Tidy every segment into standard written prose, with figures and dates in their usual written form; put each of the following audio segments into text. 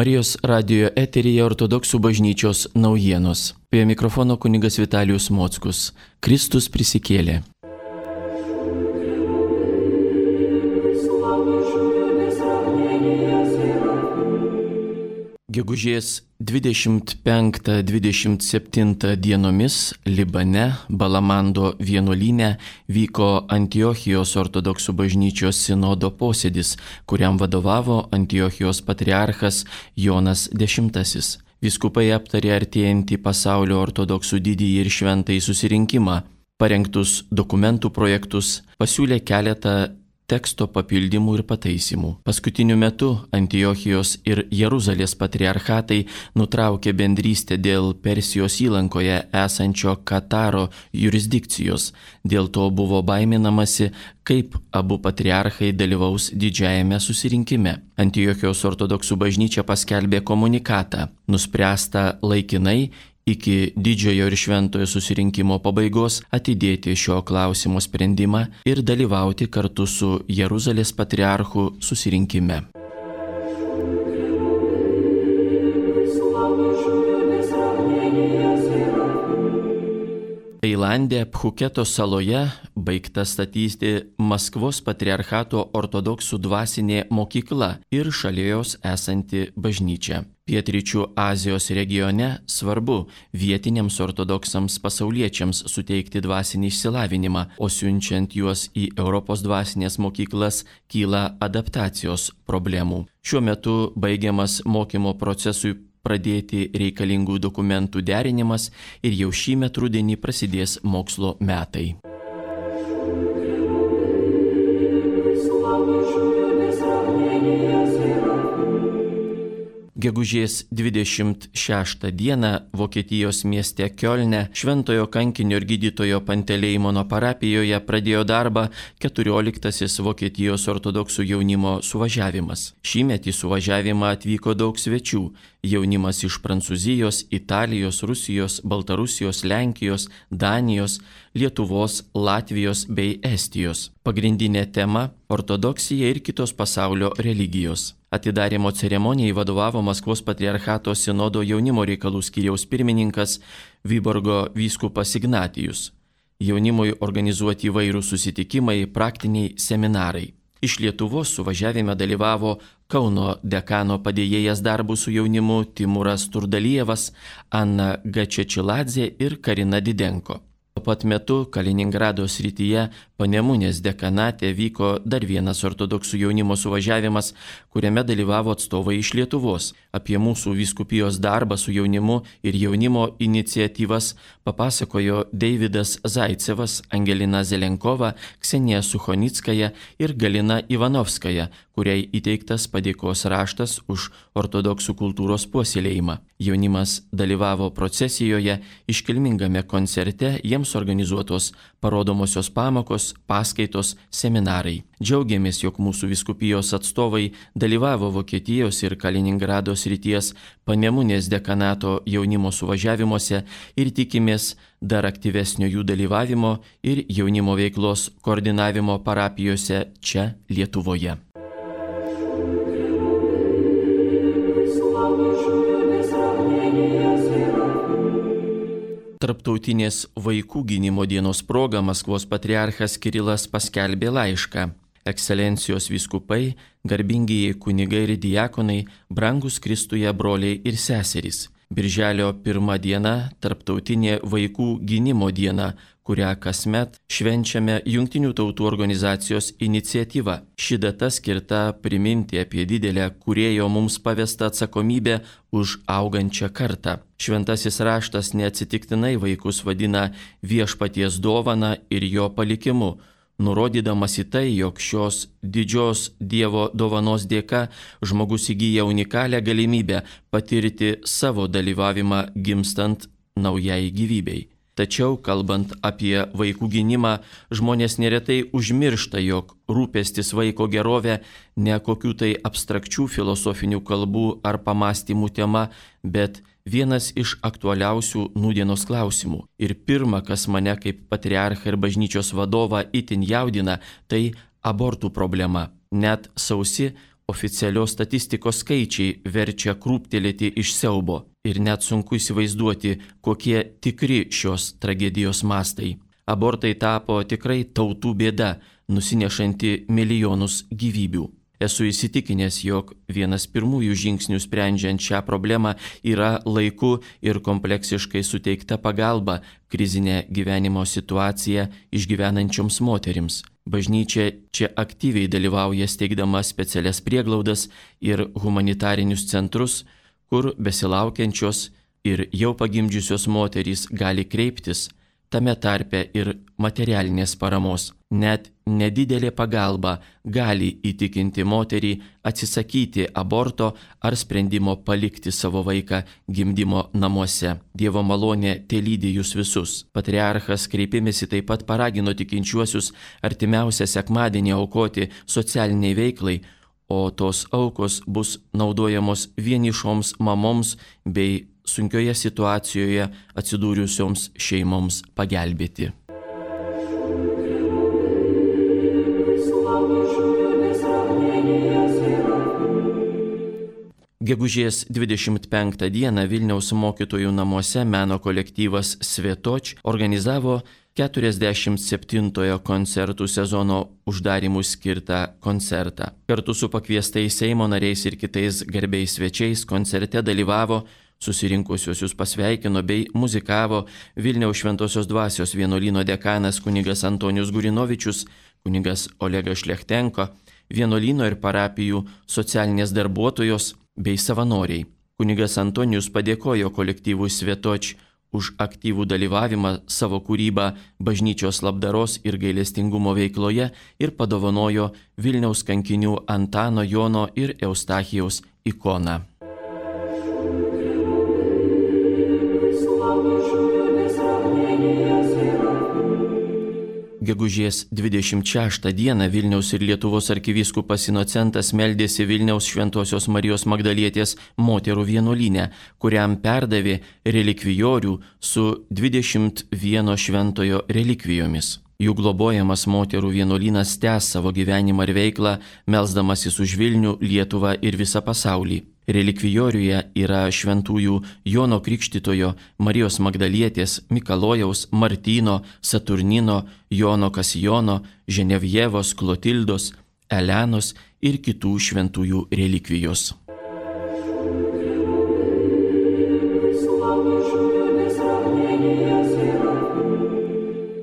Marijos radijo eteryje Ortodoksų bažnyčios naujienos. Prie mikrofono kunigas Vitalijus Mockus. Kristus prisikėlė. Gegužės 25-27 dienomis Libane, Balamando vienuolyne vyko Antiochijos ortodoksų bažnyčios sinodo posėdis, kuriam vadovavo Antiochijos patriarchas Jonas X. Vyskupai aptarė artėjantį pasaulio ortodoksų didįjį ir šventąjį susirinkimą, parengtus dokumentų projektus, pasiūlė keletą teksto papildymų ir pataisimų. Paskutiniu metu Antiochijos ir Jeruzalės patriarchatai nutraukė bendrystę dėl Persijos įlankoje esančio Kataro jurisdikcijos. Dėl to buvo baiminamasi, kaip abu patriarchai dalyvaus didžiajame susirinkime. Antiochijos ortodoksų bažnyčia paskelbė komunikatą, nuspręsta laikinai iki didžiojo ir šventojo susirinkimo pabaigos atidėti šio klausimo sprendimą ir dalyvauti kartu su Jeruzalės patriarchu susirinkime. Tailande, Phuketo saloje baigta statyti Maskvos patriarchato ortodoksų dvasinė mokykla ir šalia jos esanti bažnyčia. Pietryčių Azijos regione svarbu vietiniams ortodoksams pasauliečiams suteikti dvasinį išsilavinimą, o siunčiant juos į Europos dvasinės mokyklas kyla adaptacijos problemų. Šiuo metu baigiamas mokymo procesui pradėti reikalingų dokumentų derinimas ir jau šįmet rudenį prasidės mokslo metai. Gegužės 26 dieną Vokietijos mieste Kiolne Šventojo kankinio ir gydytojo Panteleimono parapijoje pradėjo darbą 14. Vokietijos ortodoksų jaunimo suvažiavimas. Šįmet į suvažiavimą atvyko daug svečių. Jaunimas iš Prancūzijos, Italijos, Rusijos, Baltarusijos, Lenkijos, Danijos, Lietuvos, Latvijos bei Estijos. Pagrindinė tema – ortodoksija ir kitos pasaulio religijos. Atidarymo ceremonijai vadovavo Maskvos patriarchato sinodo jaunimo reikalų skyriaus pirmininkas Vyborgo vyskupas Ignatijus. Jaunimui organizuoti įvairūs susitikimai, praktiniai seminarai. Iš Lietuvos suvažiavime dalyvavo Kauno dekano padėjėjas darbų su jaunimu Timuras Turdalijevas, Anna Gačečiladze ir Karina Didenko. Tuo pat metu Kaliningrado srityje Panemunės dekanate vyko dar vienas ortodoksų jaunimo suvažiavimas, kuriame dalyvavo atstovai iš Lietuvos. Apie mūsų vyskupijos darbą su jaunimu ir jaunimo iniciatyvas papasakojo Deividas Zaicevas, Angelina Zelenkova, Ksenija Suchonickaja ir Galina Ivanovskaja, kuriai įteiktas padėkos raštas už ortodoksų kultūros puoselėjimą. Jaunimas dalyvavo procesijoje, iškilmingame koncerte, jiems organizuotos parodomosios pamokos, paskaitos, seminarai. Džiaugiamės, jog mūsų vyskupijos atstovai dalyvavo Vokietijos ir Kaliningrado srities Panemunės dekanato jaunimo suvažiavimuose ir tikimės dar aktyvesnio jų dalyvavimo ir jaunimo veiklos koordinavimo parapijose čia Lietuvoje. Tarptautinės vaikų gynimo dienos proga Maskvos patriarchas Kirilas paskelbė laišką. Ekscelencijos vyskupai, garbingieji kunigai ir diakonai, brangus Kristuje broliai ir seserys. Birželio 1 diena Tarptautinė vaikų gynimo diena, kurią kasmet švenčiame Jungtinių tautų organizacijos iniciatyva. Ši data skirta priminti apie didelę kūrėjo mums pavestą atsakomybę už augančią kartą. Šventasis raštas neatsitiktinai vaikus vadina viešpaties dovana ir jo palikimu, nurodydamas į tai, jog šios didžios Dievo dovanos dėka žmogus įgyja unikalią galimybę patirti savo dalyvavimą gimstant naujai gyvybei. Tačiau, kalbant apie vaikų gynimą, žmonės neretai užmiršta, jog rūpestis vaiko gerovė ne kokių tai abstrakčių filosofinių kalbų ar pamastymų tema, bet vienas iš aktualiausių nūdienos klausimų. Ir pirma, kas mane kaip patriarchą ir bažnyčios vadovą itin jaudina, tai abortų problema. Net sausi Oficialios statistikos skaičiai verčia krūptelėti iš siaubo ir net sunku įsivaizduoti, kokie tikri šios tragedijos mastai. Abortai tapo tikrai tautų bėda, nusinešanti milijonus gyvybių. Esu įsitikinęs, jog vienas pirmųjų žingsnių sprendžiant šią problemą yra laiku ir kompleksiškai suteikta pagalba krizinę gyvenimo situaciją išgyvenančioms moterims. Bažnyčia čia aktyviai dalyvauja steigdama specialias prieglaudas ir humanitarinius centrus, kur besilaukiančios ir jau pagimdžiusios moterys gali kreiptis, tame tarpe ir materialinės paramos. Net nedidelė pagalba gali įtikinti moterį atsisakyti aborto ar sprendimo palikti savo vaiką gimdymo namuose. Dievo malonė telydi jūs visus. Patriarchas kreipimėsi taip pat paragino tikinčiuosius artimiausią sekmadienį aukoti socialiniai veiklai, o tos aukos bus naudojamos vienišoms mamoms bei sunkioje situacijoje atsidūrusioms šeimoms pagelbėti. Gegužės 25 dieną Vilniaus mokytojų namuose meno kolektyvas Svetoč organizavo 47-ojo koncertų sezono uždarimui skirtą koncertą. Kartu su pakviestais Seimo nariais ir kitais garbiais svečiais koncerte dalyvavo, susirinkusiuosius pasveikino bei muzikavo Vilniaus Šventosios Dvasios vienuolyno dekanas kunigas Antonijus Gurinovičius, kunigas Olegas Šlechtenko, vienuolyno ir parapijų socialinės darbuotojos bei savanoriai. Kunigas Antonijus padėkojo kolektyvui Svetoč už aktyvų dalyvavimą savo kūrybą bažnyčios labdaros ir gailestingumo veikloje ir padovanojo Vilniaus kankinių Antano, Jono ir Eustachijaus ikoną. Gegužės 26 dieną Vilniaus ir Lietuvos arkivyskupas Inocentas meldėsi Vilniaus Šventosios Marijos Magdalietės moterų vienuolyne, kuriam perdavė relikvijorių su 21 šventojo relikvijomis. Jų globojamas moterų vienuolynas tęs savo gyvenimą ir veiklą, melsdamasis už Vilnių, Lietuvą ir visą pasaulį. Relikvijoriuje yra šventųjų Jono Krikštytojo, Marijos Magdalietės, Mikalojaus, Martyno, Saturnino, Jono Kasijono, Ženevjevos, Klotildos, Elenos ir kitų šventųjų relikvijos.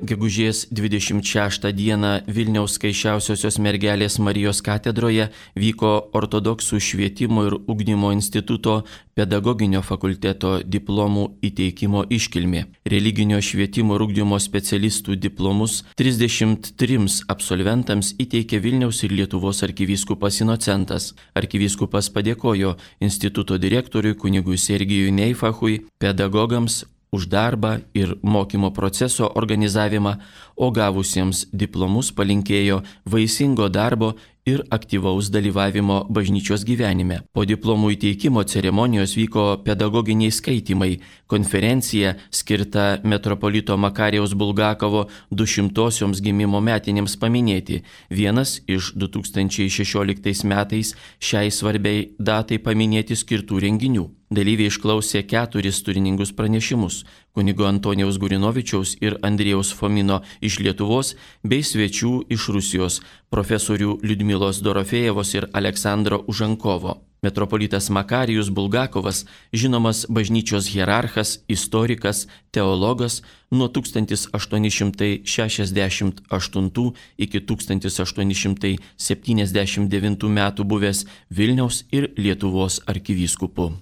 Gegužės 26 dieną Vilniaus Skaisčiausiosios mergelės Marijos katedroje vyko Ortodoksų švietimo ir ugdymo instituto pedagoginio fakulteto diplomų įteikimo iškilmė. Religinio švietimo ir ugdymo specialistų diplomus 33 absolventams įteikė Vilniaus ir Lietuvos arkivyskupas Inocentas. Arkivyskupas padėkojo instituto direktoriui kunigui Sergijui Neifachui, pedagogams už darbą ir mokymo proceso organizavimą, o gavusiems diplomus palinkėjo vaisingo darbo ir aktyvaus dalyvavimo bažnyčios gyvenime. Po diplomų įteikimo ceremonijos vyko pedagoginiai skaitymai, konferencija skirta metropolito Makarijaus Bulgakovo 200-osioms gimimo metinėms paminėti, vienas iš 2016 metais šiai svarbiai datai paminėti skirtų renginių. Dalyviai išklausė 4 turiningus pranešimus kunigo Antonijaus Gurinovičiaus ir Andriejaus Fomino iš Lietuvos bei svečių iš Rusijos profesorių Liudmilos Dorofėjevos ir Aleksandro Užankovo. Metropolitas Makarijus Bulgakovas, žinomas bažnyčios hierarchas, istorikas, teologas, nuo 1868 iki 1879 metų buvęs Vilniaus ir Lietuvos arkivyskupu.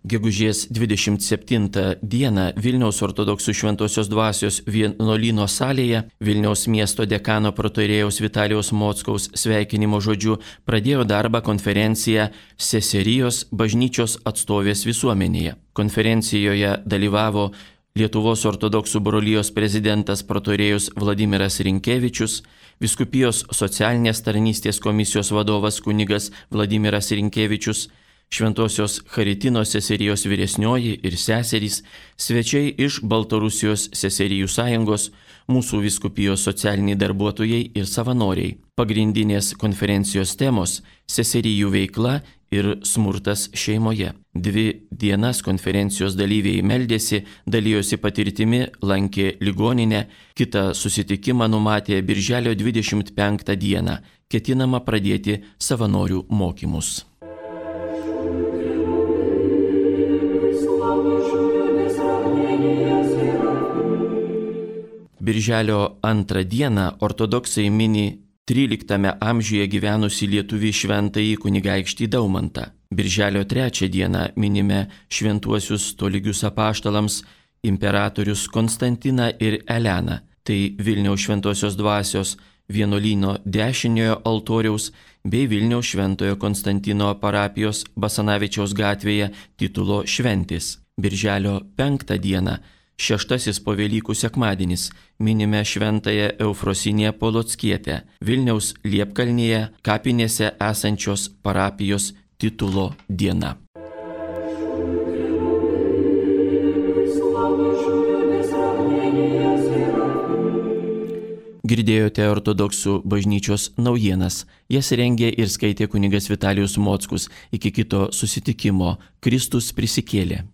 Gegužės 27 dieną Vilniaus ortodoksų Šventosios Dvasios vienuolyno salėje Vilniaus miesto dekano protoirėjaus Vitalijaus Mockaus sveikinimo žodžiu pradėjo darbą konferencija Seserijos bažnyčios atstovės visuomenėje. Konferencijoje dalyvavo Lietuvos ortodoksų brolijos prezidentas protoirėjus Vladimiras Rinkevičius, Vyskupijos socialinės tarnystės komisijos vadovas kunigas Vladimiras Rinkevičius, Šventosios Charitinos seserijos vyresnioji ir seserys, svečiai iš Baltarusijos seserijų sąjungos, mūsų vyskupijos socialiniai darbuotojai ir savanoriai. Pagrindinės konferencijos temos - seserijų veikla ir smurtas šeimoje. 2 dienas konferencijos dalyviai meldėsi, dalijosi patirtimi, lankė ligoninę, kitą susitikimą numatė birželio 25 dieną. Ketinama pradėti savanorių mokymus. Birželio 2 dieną ortodoksai mini 13 amžiuje gyvenusi lietuvį šventąjį kunigaikštį Daumantą. Birželio 3 dieną minime šventuosius tolygius apaštalams imperatorius Konstantiną ir Eleną. Tai Vilniaus šventosios dvasios vienuolyno dešiniojo altoriaus bei Vilniaus šventojo Konstantino parapijos Basanavičiaus gatvėje titulo šventės. Birželio 5 dieną, 6 po Velykų sekmadienis, minime šventąją Eufrosinę Polockietę, Vilniaus Liepkalnyje kapinėse esančios parapijos titulo diena. Girdėjote ortodoksų bažnyčios naujienas. Jas rengė ir skaitė kunigas Vitalijus Mockus. Iki kito susitikimo. Kristus prisikėlė.